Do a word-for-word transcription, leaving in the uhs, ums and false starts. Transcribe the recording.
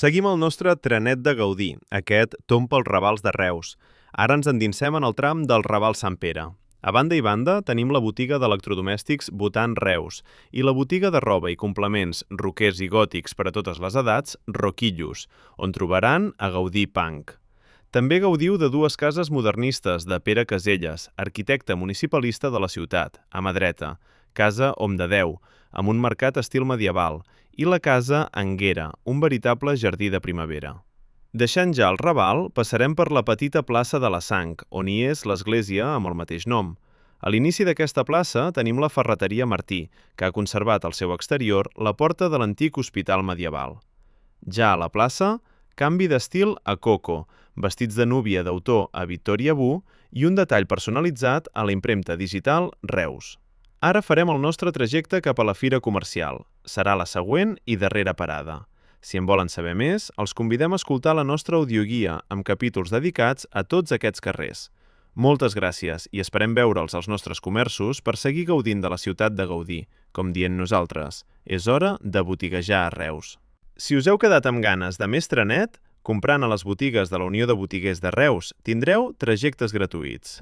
Seguim el nostre trenet de Gaudí, aquest tomb pels Ravals de Reus. Ara ens endinsem en el tram del Raval Sant Pere. A banda i banda tenim la botiga d'electrodomèstics Botan Reus i la botiga de roba i complements roquers i gòtics per a totes les edats, Roquillos, on trobaran a Gaudí Punk. També gaudiu de dues cases modernistes de Pere Caselles, arquitecte municipalista de la ciutat, a mà dreta, Casa Hom de Déu, amb un mercat estil medieval, i la Casa Anguera, un veritable jardí de primavera. Deixant ja el Raval, passarem per la petita plaça de la Sang, on hi és l'església amb el mateix nom. A l'inici d'aquesta plaça tenim la ferreteria Martí, que ha conservat al seu exterior la porta de l'antic hospital medieval. Ja a la plaça, canvi d'estil a Coco, vestits de núvia d'autor a Victoria Bu i un detall personalitzat a la impremta digital Reus. Ara farem el nostre trajecte cap a la fira comercial. Serà la següent i darrera parada. Si en volen saber més, els convidem a escoltar la nostra audioguia amb capítols dedicats a tots aquests carrers. Moltes gràcies i esperem veure'ls als nostres comerços per seguir gaudint de la ciutat de Gaudí. Com dient nosaltres, és hora de botiguejar a Reus. Si us heu quedat amb ganes de més trenet, comprant a les botigues de la Unió de Botiguers de Reus, tindreu trajectes gratuïts.